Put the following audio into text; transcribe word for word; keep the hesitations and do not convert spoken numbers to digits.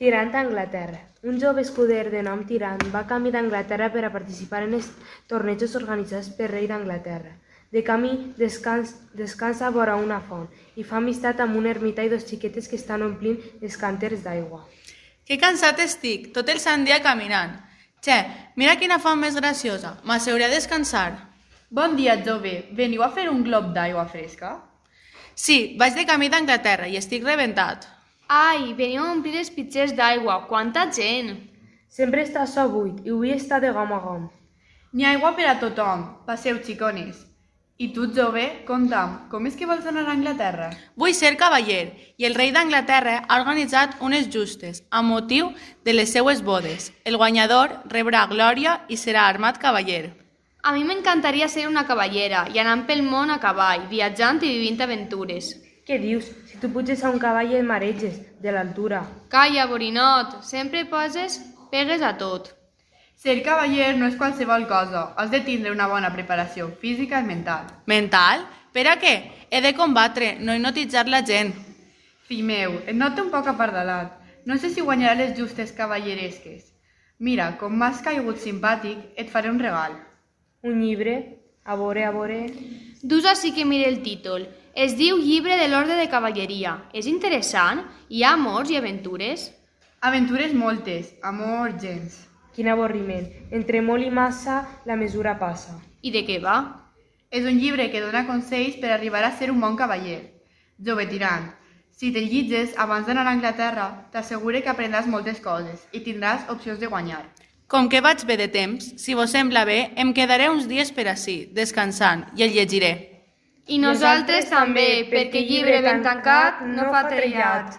Tirant a Anglaterra. Un jove escuder de nom Tirant va camí d'Anglaterra per a participar en els tornejos organitzats pel rei d'Anglaterra. De camí descans, descansa vora una font i fa amistat amb un ermità i dos xiquetes que estan omplint els cànters d'aigua. Que cansat estic, tot el sant dia caminant. Che, mira quina font més graciosa, m'asseuré a descansar. Bon dia, jove, veniu a fer un glob d'aigua fresca? Sí, vaig de camí d'Anglaterra i estic rebentat. Ai, veniu a omplir els pitxers d'aigua, quanta gent! Sempre està açò buit i avui està de gom a gom. N'hi ha aigua per a tothom, passeu, xicones. I tu, jove, conta'm, com és que vols anar a Anglaterra? Vull ser cavaller i el rei d'Anglaterra ha organitzat unes justes amb motiu de les seues bodes. El guanyador rebrà glòria i serà armat cavaller. A mi m'encantaria ser una cavallera i anar pel món a cavall, viatjant i vivint aventures. Què dius? Si tu puges a un cavall i et mareges, de l'altura. Calla, borinot, sempre poses pegues a tot. Ser cavaller no és qualsevol cosa, has de tindre una bona preparació física i mental. Mental? Per a què? He de combatre, no hipnotitzar la gent. Fill meu, et noto un poc apardalat. No sé si guanyarà les justes cavalleresques. Mira, com m'has caigut simpàtic, et faré un regal. Un llibre? A veure, a veure... Dus així que mire el títol. Es diu Llibre de l'Orde de Cavalleria. És interessant? Hi ha amors i aventures? Aventures moltes, amor gens. Quin avorriment. Entre molt i massa, la mesura passa. I de què va? És un llibre que dona consells per arribar a ser un bon cavaller. Jove tirant, si te'l llitges abans d'anar a Anglaterra, t'assegure que aprendràs moltes coses i tindràs opcions de guanyar. Com que vaig bé de temps, si vos sembla bé, em quedaré uns dies per ací, descansant, i el llegiré. I nosaltres també, perquè llibre ben tancat no fa trellat.